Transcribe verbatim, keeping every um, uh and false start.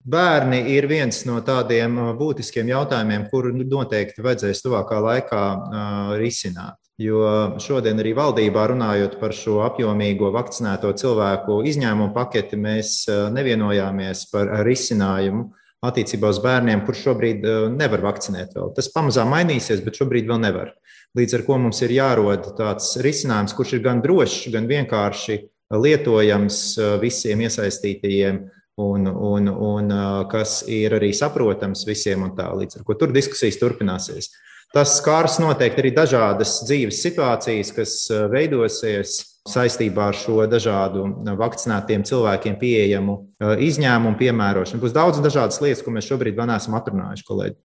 Bērni ir viens no tādiem būtiskiem jautājumiem, kuru noteikti vajadzēs tuvākā laikā risināt. Jo šodien arī valdībā runājot par šo apjomīgo vakcinēto cilvēku izņēmumu paketi, mēs nevienojāmies par risinājumu attiecībā uz bērniem, kurš šobrīd nevar vakcinēt vēl. Tas pamazām mainīsies, bet šobrīd vēl nevar. Līdz ar ko mums ir jārod tāds risinājums, kurš ir gan drošs, gan vienkārši lietojams visiem iesaistītajiem un, un, un kas ir arī saprotams visiem un tā. Līdz ar ko tur diskusijas turpināsies. Tas skars noteikti arī dažādas dzīves situācijas, kas veidosies saistībā ar šo dažādu vakcinētiem cilvēkiem pieejamu izņēmumu piemērošanu. Būs daudz dažādas lietas, ko mēs šobrīd vēl neesam atrunājuši, kolēģi.